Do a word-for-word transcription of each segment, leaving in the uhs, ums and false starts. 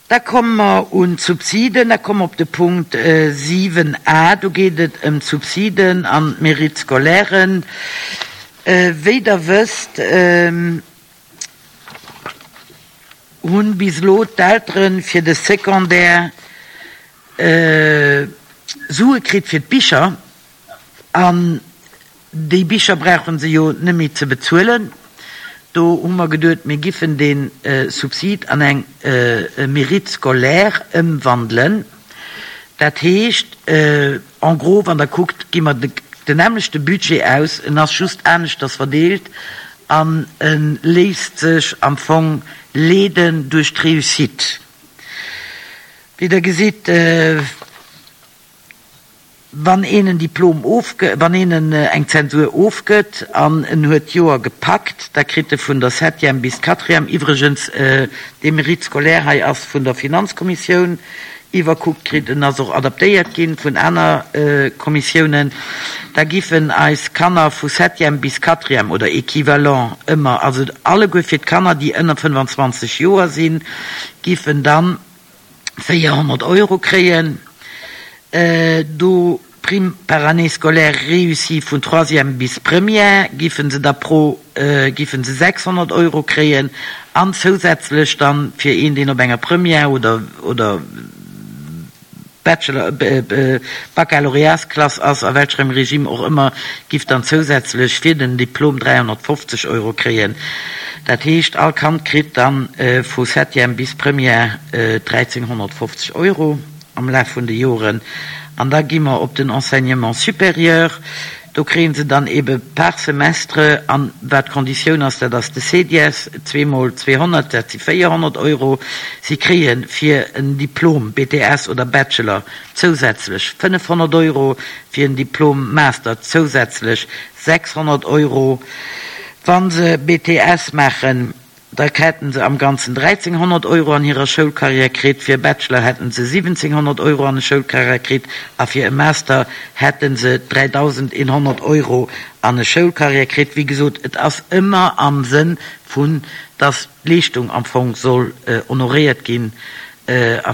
Da komme mer un d'Subsiden, da komme mer op de Punkt siwen a, do geet et ëm d'Subsiden an d'Mérite scolairen. Wéi Der wësst, hunn bis elo d'Eltere fir de Secondaire Sue kritt fir d'Bicher, an déi Bicher brauche se jo net méi ze bezuelen. Do hu mer geduet, mir giffen dee Subsid an eng Mérite scolaire ëmwandelen. Dat heescht, en gros, wann Der kuckt, gi mer den nämmlechte Budget aus, en ass just aneschters verdeelt an e léisst sech am Fong leeden duerch d'Réussite. Wéi Der gesitt, wann een en Diplom ofgë-, wann een en eng Zensur ofgëtt an en huet d'Joer gepackt, da kritt e vun der Septième bis d'Quatrième, iwwregens dee Mérite scolaire hei ass vun der Finanzkommissioun iwwerkuckt kritt, en ass och adaptéiert gi vun aner Kommissiounen, da giffen eis Kanner vu Septième bis Quatrième oder équivalent ëmmer, also alleguer fir d'Kanner, déi ënner fënnefanzwanzeg Joer sinn, giffen dann véierhonnert Euro kréien. Do Prime par année scolaire réussie vun troisième bis première giffen se da pro giffen se sechshonnert Euro kréien an zousätzlech dann fir een, deen op enger Première oder oder Bachelor Baccalauréatsklass ass, a welchrem Regime och ëmmer, giff dann zousätzlech fir den Diplom dräihonnertfofzeg Euro kréien. Dat heescht, all Kand kritt dann vu Septième bis Première dräizénghonnertfofzeg Euro am Laf vun de Joren. An da gi mer op den Enseignement supérieur. Do kréie se dann ebe par Semestre, an wat d'Konditioun ass, dat ass de CEDIES, zweemol zweehonnert, dat si véierhonnert Euro. Si kréie fir en Diplom B T S oder Bachelor zousätzlech fënnefhonnert Euro, fir en Diplom Master zousätzlech sechshonnert Euro. Wa se B T S maachen, da hätten se am Ganzen dräizénghonnert Euro an hirer Schoulkarriär kritt, fir e Bachelor hätten se siwwenzénghonnert Euro an e Schoulkarriär kritt a fir e Master hätten se dräidausendeenhonnert Euro an e Schoulkarriär kritt. Wéi gesot, et ass ëmmer am Sënn vun, dass d'Leeschtung am Fong soll honoréiert ginn a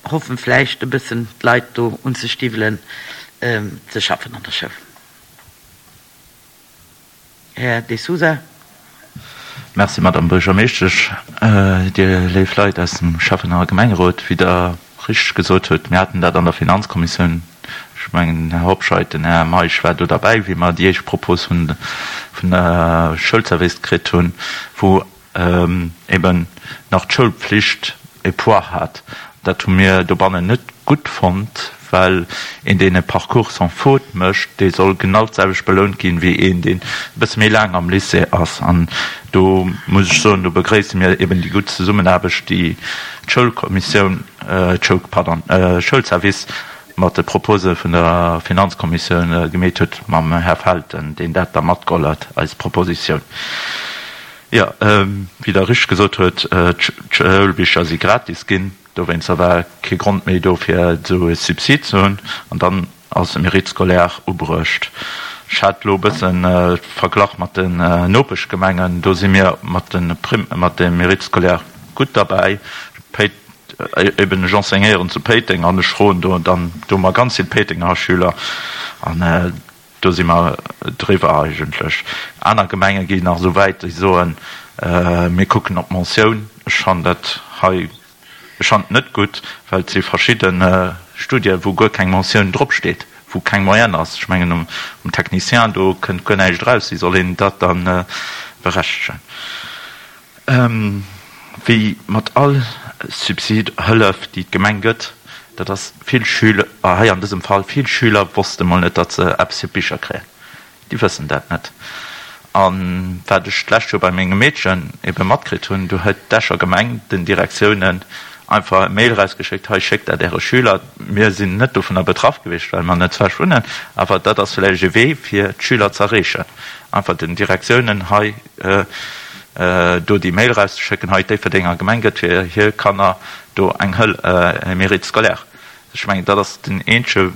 hoffen vläicht e bëssen d'Leit do unzestiwwelen ze schaffen an der Schoul. Här De Sousa. Merci, Madame Buergermeeschtesch. Dir léif Leit aus dem Schäffen a Gemengerot, wéi Der richteg gesot hutt, mir haten dat an der Finanzkommissioun, ech mengen, den Här Hobscheit, den Här Meisch war do derbäi, wéi mer déi éischt Propos vun vun der Schoulservice kritt hunn, wou eben nach d'Schoulpflicht e Poids hat. Dat hu mir dobannen net gutt fonnt, well een, deen e Parcours sans faute mécht, dee soll genau d'selwecht belount ginn, wéi een, deen e bësse méi laang am Lycée ass. An do muss ech soen, do begréisse mir eben déi gutt Zesummenaarbecht, déi d'Schoulkommissioun, d'Schoul, pardon, Schoulservice mat de Propose vun der Finanzkommissioun gemeet huet mam Här Felten, deen dat da matgeholl huet, eis Propositioun. Jo, wéi Der richteg gesot huet, d'Schoulbicher si gratis ginn. Dowéinster war kee Grond méi do, fir esou e Subsid ze hunn. An dann ass e Mérite scolaire ubruecht. Ech hat elo e bësse verglach mat den Nopeschgemengen. Do si mir mat de Primm, mat dem Mérite scolaire gutt derbäi. Péit, eben ech enseignéieren zu Péiteng an ech froen do dann, do hu mer ganz vill Péitenger Schüler an do si mer driwwer eigentlech. Aner Gemenge ginn nach esou wäit, déi soen, mir kucken op d'Mentioun. Ech fannen dat hei, ech fannen et net gutt, well et si verschidde Studien, wou guer keng Mentioun dropsteet, wou keng Moyenne ass. Ech mengen um Technicien, do kënnt guer näischt eraus. Wéi soll een dat da berechtegen? Wéi mat all Subsid, Hëllef, déi d'Gemeng gëtt, dat ass vill Schüler, hei an dësem Fall vill Schüler wosste mol net, datt se eppes fir d'Bicher kréien. Déi wëssen dat net. A wat ech d'lescht Joer bei mengem Meedchen ebe matkritt hunn, do huet d'Escher Gemeng den Direktiounen einfach e Mail erausgeschéckt, hei schéckt dat äre Schüler. Mir sinn net dovunner betraff gewiescht, well mer net zu Esch wunnen, awer dat ass vläicht e Wee fir d'Schüler ze erreechen, einfach den Direktiounen hei do déi Mail erauszeschécken, hei d'Déifferdenger Gemeng gëtt fir hir Kanner do eng Hëll, e Mérite scolaire. Ech mengen, dat ass den eenzege,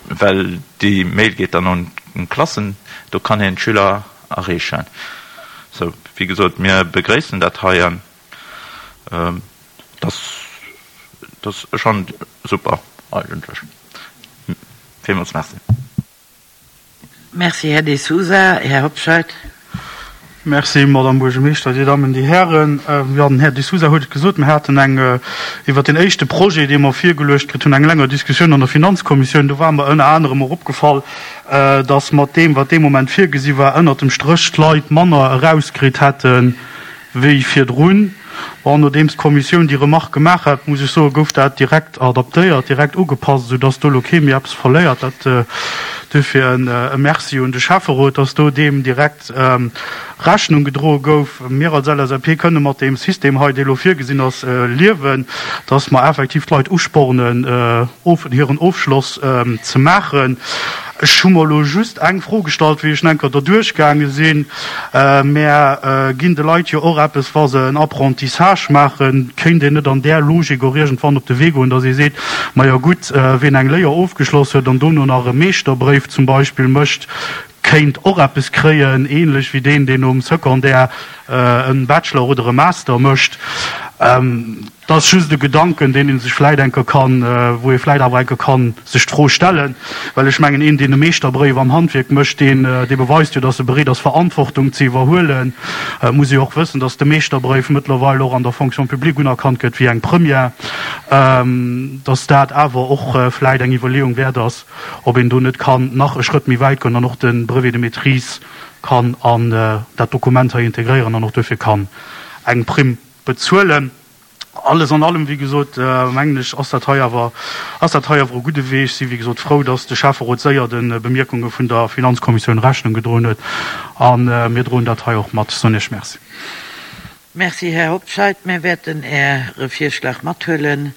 well déi Mail geet dann un d'Klassen, do kann een d'Schüler erreechen. Sou, wéi gesot, mir begréissen dat hei, dass Dat ass schonn super eigentlech. Villmools Merci. Merci, Här De Sousa. Här Hobscheit. Merci, Madame Buergermeeschter, Dir Dammen, Dir Hären. Jo, den Här De Sousa huet et gesot, mir haten eng, iwwert deen éischte Projet, dee mer virgeluecht kritt hunn, eng länger Diskussioun an der Finanzkommissioun. Do war mer ënner anerem och opgefall, dass mat deem, wat dee Moment virgesi war, ënnert dem Stréch d'Leit manner erauskritt hätten, wéi virdrun. Bon, nodeems d'Kommissioun déi Remarque gemaach hat, muss ech soen, gouf dat direkt adaptéiert, direkt ugepasst, esou dass do elo kee méi eppes verléiert. Dat duerfir e Merci un de Schäfferot, dass do deem direkt Rechnung gedroe gouf. Mir als L S A P kënne mat deem System hei, dee elo virgesinn ass, liewen, dass mer effektiv d'Leit uspornen, hiren Ofschloss ze maachen. Ech hu mer elo just eng Fro gestallt, wéi ech nach eng Kéier derduerch gaange sinn. Mär ginn de Leit jo och eppes, wa se en Apprentissage maachen. Kéint een net an där Logik och iergendwann op de Wee goen, dass ee seet, Majo gutt, wien eng Léier ofgeschloss huet an dono nach e Meeschterbréif zum Beispill mécht, kéint och eppes kréien, ähnlech wéi deen, deen nom Secondaire e Bachelor oder e Master mécht? Dat ass just e Gedanken, deen ee sech vläit eng Kéier kann, wou ee vläit awer eng Kéier kann sech d'Fro stellen, well ech mengen, een, deen e Meeschterbréif am Handwierk mécht, deen, dee beweist jo, dass e bereet ass, Verantwortung ze iwwerhuelen. Et muss ee jo och wëssen, dass de Meeschterbréif mëttlerweil och an der Fonction publique unerkannt gëtt wéi eng Première, dass dat awer och vläit eng Iwwerleeung wäert ass, ob een do net kann nach e Schrëtt méi wäit goen an och de Brevet de maîtrise kann an dat Dokument hei integréieren an och duerfir kann eng Primm bezuelen. Alles an allem, wéi gesot, mengen ech, ass dat hei awer, ass dat hei awer e gudde Wee. Ech si wéi gesot frou, dass de Schäfferot séier de Bemierkunge vun der Finanzkommissioun Rechnung gedroen huet a mir droen dat hei och mat. Soen Iech Merci. Merci, Här Hobscheit. Mir wäerten Äre Virschlag mathuelen.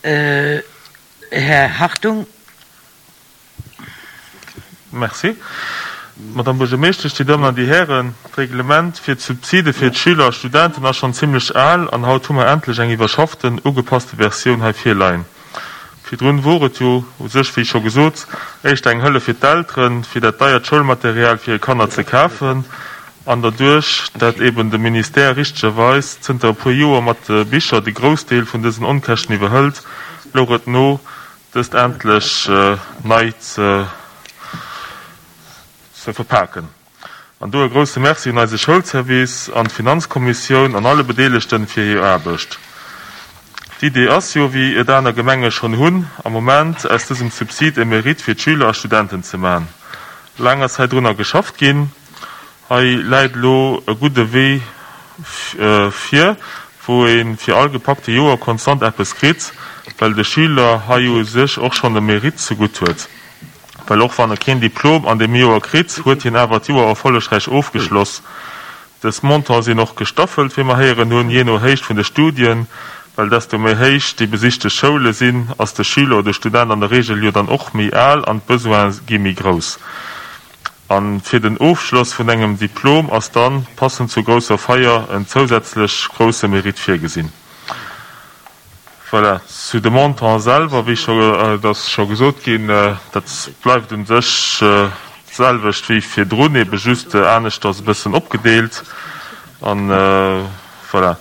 Här Hartung. Merci, Madame Buergermeeschtesch, Dir Dammen an Dir Hären. D'Reglement fir d'Subside fir d'Schüler a Studenten ass schonn zimlech al an haut hu mer endlech eng iwwerschafften, ugepasste Versioun hei virleien. Virdrun wor et jo u sech, wéi scho gesot, éischter eng Hëllef fir d'Elteren, fir dat deiert Schoulmaterial fir hir Kanner ze kafen. An derduerch, dat eben de Ministère richtegerweis zënter e puer Joer mat de Bicher de Groussdeel vun dësen Onkäschten iwwerhëlt, louch et no, dëst endlech nei ze ze verpaken. An do e grousse Merci un eise Schoulservice an d'Finanzkommissioun an alle Bedeelegten fir hir Aarbecht. D'Idee ass jo, wéi et aner Gemenge schonn hunn, am Moment aus dësem Subsid e Mérite fir d'Schüler a Studenten ze man. Laang ass hei drunner geschafft ginn. Hei läit elo e gudde Wee vir, wou ee fir all gepackte Joer konstant eppes kritt, well de Schüler hei u sech och schonn e Mérite zegutt huet. Well och wann e keen Diplom an deem Joer kritt, huet hien awer d'Joer erfollegräich ofgeschloss. Dës Montante sinn och gestaffelt, wéi mer héieren hunn, jee no Héicht vun de Studien, well desto méi héich déi besichte Schoule sinn, ass de Schüler oder Student an der Reegel jo dann och méi al an d'Besoine gi méi grouss. A fir den Ofschloss vun engem Diplom ass dann, passend zur grousser Feier, en zousätzlech grousse Mérite virgesinn. Voilà. Zu de Montant selwer, wéi scho, et ass scho gesot ginn, dat bleift u sech d'selwecht wéi virdrun, ebe just aneschters e bëssen opgedeelt. An voilà,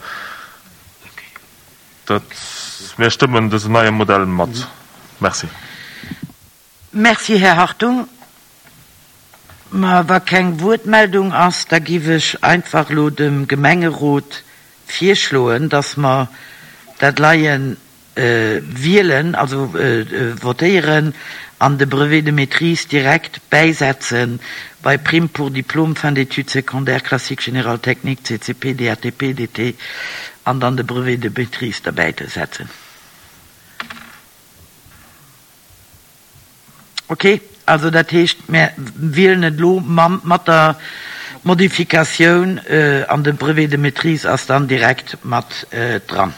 dat, mir stëmmen dësen neie Modell mat. Merci. Merci, Här Hartung. Ma wa keng Wuertmeldung ass, da giff ech einfach elo dem Gemengerot virschloen, dass mer dat leie wielen, also votéieren, an de Brevet de maîtrise direkt bäisetzen bei Prime pour diplôme fin d'études secondaires classique générale technique C C P D A T P D T an dann de Brevet de maîtrise derbäi setzen. Ok, also dat heescht, mär wielen et elo mam, mat der Modifikatioun an de Brevet de maîtrise ass dann direkt mat dran.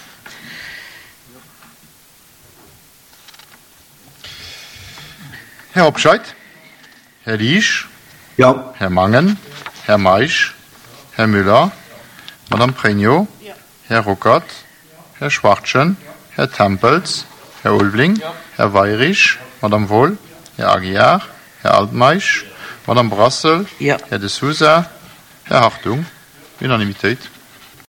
Här Hobscheit? Här Liesch? Jo. Här Mangen? Här Meisch? Här Müller? Madame Pregno? Här Ruckert? Här Schwachtgen? Här Tempels? Här Ulveling? Här Weyrich? Madame Wohl? Här Aguiar? Här Altmeisch? Madame Brassel? Jo. Här De Sousa? Här Hartung? Unanimitéit.